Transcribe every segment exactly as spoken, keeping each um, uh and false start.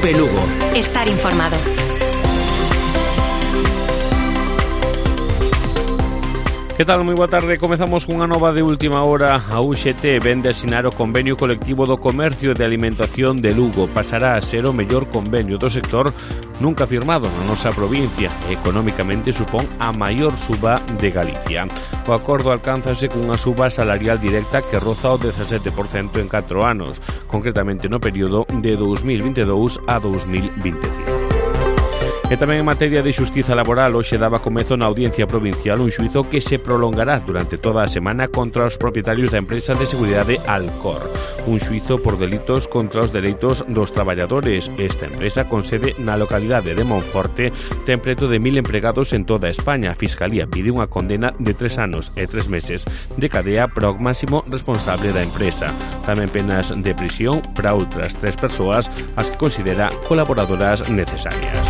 COPE Lugo. Estar informado. Que tal? Moi boa tarde. Comezamos cunha nova de última hora. A U X T vende asinar o convenio colectivo do comercio de alimentación de Lugo. Pasará a ser o mellor convenio do sector nunca firmado na nosa provincia. Económicamente supón a maior suba de Galicia. O acordo alcánzase cunha suba salarial directa que roza o dezasete por cento en catro anos, concretamente no período de dous mil vinte e dous a dous mil vinte e cinco. E tamén en materia de xustiza laboral, hoxe daba comezo na Audiencia Provincial un xuizo que se prolongará durante toda a semana contra os propietarios da empresa de seguridade Alcor. Un xuizo por delitos contra os dereitos dos traballadores. Esta empresa, con sede na localidade de Monforte, ten preto de mil empregados en toda España. A Fiscalía pide unha condena de tres anos e tres meses de cadea para o máximo responsable da empresa. Tamén penas de prisión para outras tres persoas as que considera colaboradoras necesarias.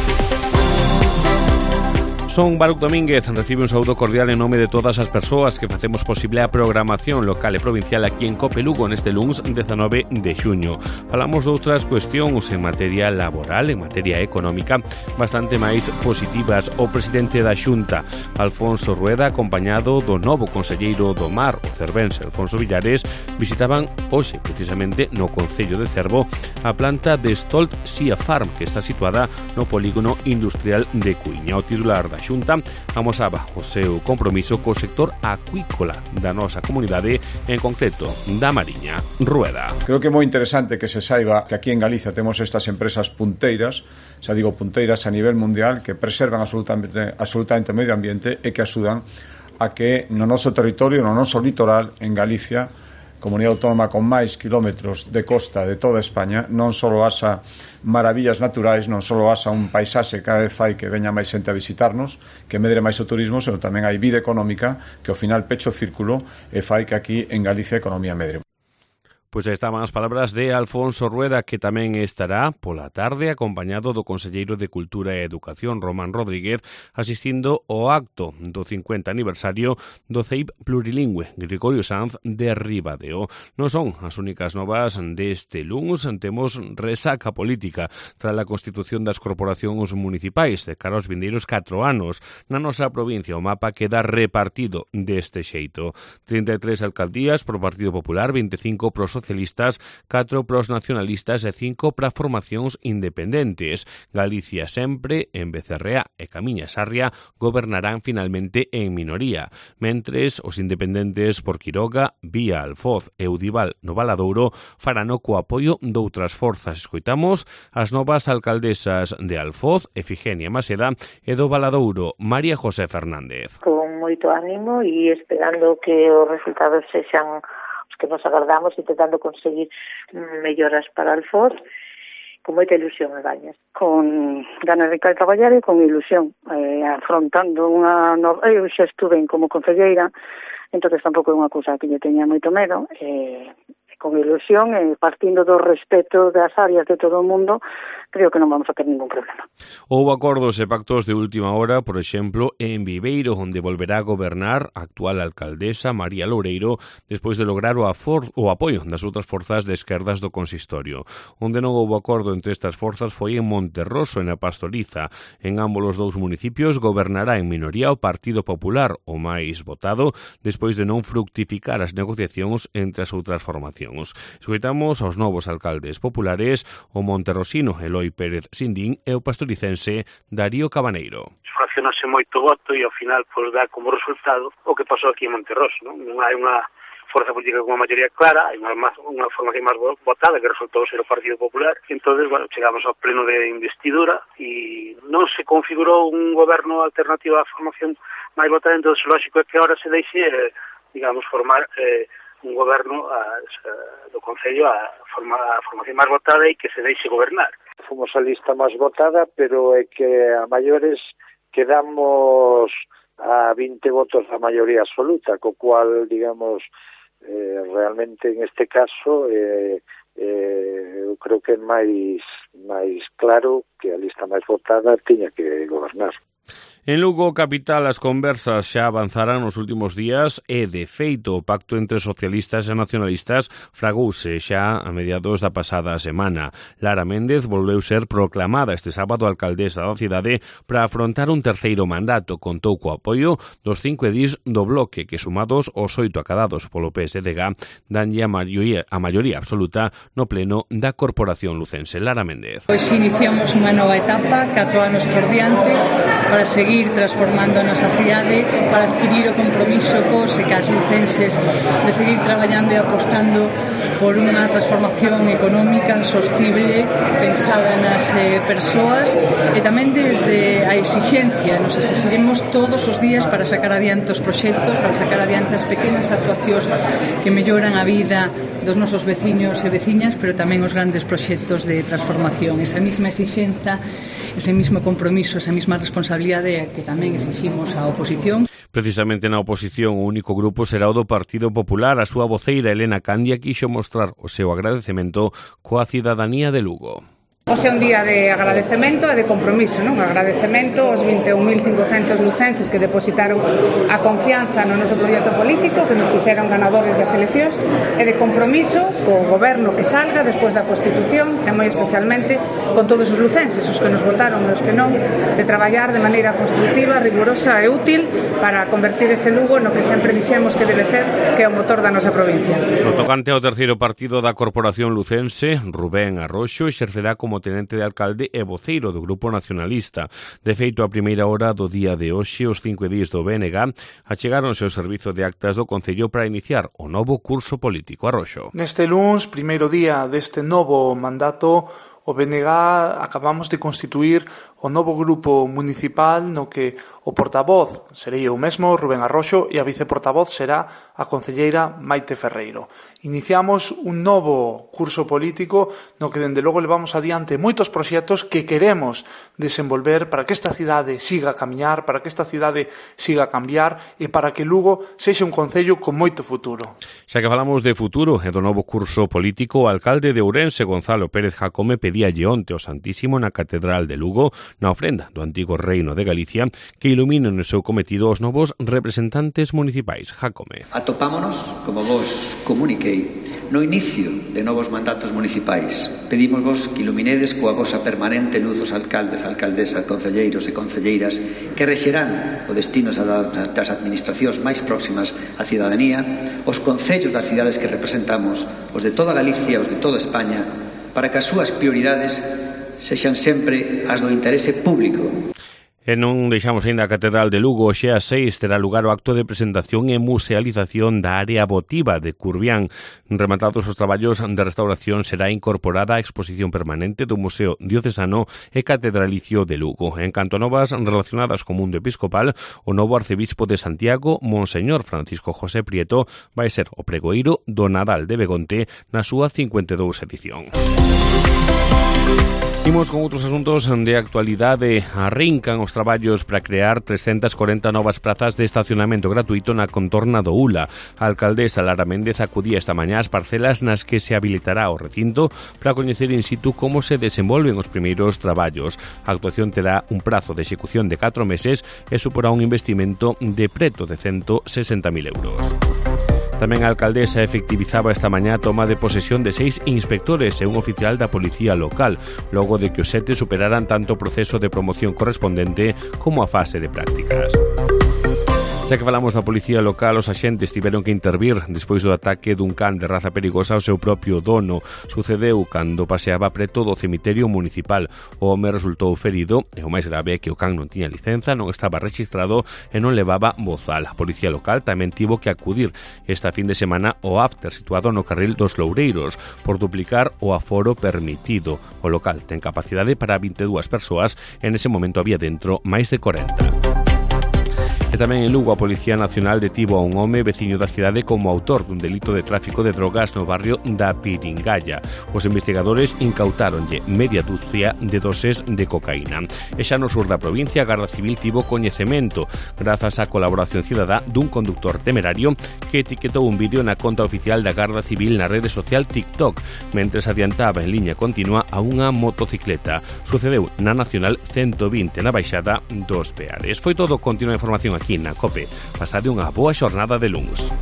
Son Baruc Domínguez, recibe un saúdo cordial en nome de todas as persoas que facemos posible a programación local e provincial aquí en COPE Lugo neste luns dezanove de xuño. Falamos de outras cuestións en materia laboral, en materia económica, bastante máis positivas. O presidente da Xunta, Alfonso Rueda, acompañado do novo conselleiro do Mar, o cervense Alfonso Villares, visitaban hoxe, precisamente no concello de Cervo, a planta de Stolt Sea Farm, que está situada no polígono industrial de Cuiña. O titular da Xunta amosaba o seu compromiso co sector acuícola da nosa comunidade, en concreto da Mariña. Rueda. Creo que é moi interesante que se saiba que aquí en Galicia temos estas empresas punteiras, xa digo punteiras a nivel mundial, que preservan absolutamente, absolutamente o medio ambiente e que axudan a que no noso territorio, no noso litoral, en Galicia, comunidade autónoma con máis kilómetros de costa de toda España, non só haxa maravillas naturais, non só haxa un paisaxe que cada vez fai que veña máis xente a visitarnos, que medre máis o turismo, senón tamén hai vida económica que ao final pecho o círculo e fai que aquí en Galicia a economía medre. Pois aí estaban as palabras de Alfonso Rueda, que tamén estará pola tarde acompañado do conselleiro de Cultura e Educación, Román Rodríguez, asistindo ao acto do cincuenta aniversario do C E I P plurilingüe Gregorio Sanz de Ribadeo. Non son as únicas novas deste luns, temos resaca política tras a constitución das corporacións municipais de cara aos vindeiros catro anos. Na nosa provincia o mapa queda repartido deste xeito. trinta e tres alcaldías pro Partido Popular, vinte e cinco pro socialistas, catro pros nacionalistas e cinco para formacións independentes. Galicia sempre, en Becerrea e Camiña Sarria, gobernarán finalmente en minoría, mentres os independentes por Quiroga, Vía, Alfoz e Udival no Valadouro farano co apoio doutras forzas. Escoitamos as novas alcaldesas de Alfoz, Efigenia Maseda, e do Valadouro, María José Fernández. Con moito ánimo e esperando que os resultados sexan que nos agardamos, intentando conseguir melloras para Alfoz, con moita ilusión e gañas. Con ganas de traballar e con ilusión, eh, afrontando unha nova... Eu xa estuve como concelleira, entón tampouco é unha cousa que lle teña moito medo, e eh, con ilusión e partindo do respeto das áreas de todo o mundo, creo que non vamos a ter ningún problema. Houbo acordos e pactos de última hora, por exemplo, en Viveiro, onde volverá a gobernar a actual alcaldesa María Loureiro, despois de lograr o, afor, o apoio das outras forzas de esquerdas do consistorio. Onde non houbo acordo entre estas forzas foi en Monterroso, en a Pastoriza. En ambos os dous municipios gobernará en minoría o Partido Popular, o máis votado, despois de non fructificar as negociacións entre as outras formacións. Escoitamos aos novos alcaldes populares, o monterrosino Eloi Pérez Sindín e o pastoricense Darío Cabaneiro. Fraccionase moito voto e ao final pois dá como resultado o que pasou aquí en Monterroso, non? Non hai unha forza política con unha maioría clara, hai unha, unha formación máis votada que resultou ser o Partido Popular. Entón, bueno, chegamos ao pleno de investidura e non se configurou un goberno alternativo á formación máis votada, entón lógico é que agora se deixe, eh, digamos, formar eh, un goberno a, a, do Concello a, forma, a formación máis votada e que se deixe gobernar. Fomos a lista máis votada, pero é que a maiores quedamos a vinte votos da maioría absoluta, co cual, digamos, eh, realmente en este caso eh, eh, eu creo que é máis, máis claro que a lista máis votada tiña que gobernar. En Lugo capital as conversas xa avanzaran nos últimos días e, de feito, o pacto entre socialistas e nacionalistas fragouse xa a mediados da pasada semana. Lara Méndez volveu ser proclamada este sábado alcaldesa da cidade para afrontar un terceiro mandato. Contou co apoio dos cinco edís do bloque que, sumados aos oito acadados polo P S D G, danlle a maioría, a maioría absoluta no pleno da Corporación lucense. Lara Méndez. Hoxe iniciamos unha nova etapa, catro anos por diante, para seguir transformando a nosa cidade, para adquirir o compromiso cos e cas lucenses de seguir traballando e apostando por unha transformación económica sostible, pensada nas eh, persoas, e tamén desde a exixencia. Nos exigiremos todos os días para sacar adiante os proxectos, para sacar adiante as pequenas actuacións que melloran a vida dos nosos veciños e veciñas, pero tamén os grandes proxectos de transformación. Esa mesma exixenza, ese mesmo compromiso, esa mesma responsabilidade que tamén exiximos á oposición. Precisamente na oposición, o único grupo será o do Partido Popular. A súa voceira, Elena Candia, quixo mostrar o seu agradecemento coa cidadanía de Lugo. Hoxe é un día de agradecemento e de compromiso, non? Agradecemento aos vinte e un mil cincocentos lucenses que depositaron a confianza no noso proxecto político, que nos fixeron ganadores das eleccións, e de compromiso co goberno que salga despois da Constitución, e moi especialmente con todos os lucenses, os que nos votaron e os que non, de traballar de maneira constructiva, rigurosa e útil para convertir ese Lugo no que sempre dixemos que debe ser, que é o motor da nosa provincia. No tocante ao terceiro partido da Corporación lucense, Rubén Arroxo exercerá como tenente de alcalde e voceiro do Grupo Nacionalista. De feito, a primeira hora do día de hoxe, os cinco edís do B N G achegáronse ao servizo de actas do Concello para iniciar o novo curso político. Arroxo. Neste luns, primeiro día deste novo mandato, o B N G acabamos de constituir o novo grupo municipal no que o portavoz serei eu mesmo, Rubén Arroxo, e a viceportavoz será a concelleira Maite Ferreiro. Iniciamos un novo curso político no que dende logo levamos adiante moitos proxectos que queremos desenvolver para que esta cidade siga a camiñar, para que esta cidade siga a cambiar e para que Lugo sexa un concello con moito futuro. Xa que falamos de futuro e do novo curso político, o alcalde de Ourense, Gonzalo Pérez Jacome, pedíalle onte ao Santísimo na Catedral de Lugo, na ofrenda do antigo Reino de Galicia, que iluminen o seu cometido os novos representantes municipais. Jacome. Atopámonos, como vos comuniquei, no inicio de novos mandatos municipais. Pedímosvos que iluminedes coa vosa permanente luz os alcaldes, alcaldesas, concelleiros e concelleiras que rexerán o destino das administracións máis próximas á cidadanía, os concellos das cidades que representamos, os de toda Galicia, os de toda España, para que as súas prioridades sexan sempre as do interese público. E non deixamos ainda a Catedral de Lugo. Hoxe ás seis terá lugar o acto de presentación e musealización da área votiva de Curbián. Rematados os traballos de restauración, será incorporada a exposición permanente do Museo Diocesano e Catedralicio de Lugo. En canto a novas relacionadas co mundo episcopal, o novo arcebispo de Santiago, Monseñor Francisco José Prieto, vai ser o pregoeiro do Nadal de Begonte na súa cincuenta e dous edición. Imos con outros asuntos de actualidade. Arrincan os traballos para crear trescentas corenta novas prazas de estacionamento gratuito na contorna do Ula. A alcaldesa Lara Méndez acudía esta mañá ás parcelas nas que se habilitará o recinto para coñecer in situ como se desenvolven os primeiros traballos. A actuación terá un prazo de execución de catro meses e suporá un investimento de preto de ciento sesenta mil euros. Tamén a alcaldesa efectivizaba esta mañá a toma de posesión de seis inspectores e un oficial da policía local, logo de que os sete superaran tanto o proceso de promoción correspondente como a fase de prácticas. Xa que falamos da policía local, os axentes tiveron que intervir despois do ataque dun can de raza perigosa ao seu propio dono. Sucedeu cando paseaba preto do cemiterio municipal. O home resultou ferido e o máis grave é que o can non tiña licenza, non estaba rexistrado e non levaba bozal. A policía local tamén tivo que acudir esta fin de semana ao after situado no carril dos Loureiros por duplicar o aforo permitido. O local ten capacidade para vinte e dúas persoas e nese momento había dentro máis de corenta. E tamén en Lugo a Policía Nacional detivo a un home veciño da cidade como autor dun delito de tráfico de drogas no barrio da Piringalla. Os investigadores incautáronlle media dúcia de doses de cocaína. E xa no sur da provincia a Garda Civil tivo coñecemento grazas á colaboración cidadá dun conductor temerario que etiquetou un vídeo na conta oficial da Garda Civil na rede social TikTok mentres adiantaba en liña continua a unha motocicleta. Sucedeu na Nacional ciento vinte na baixada dos Peares. Foi todo, continua a información aquí na COPE. Pasade unha boa xornada de luns.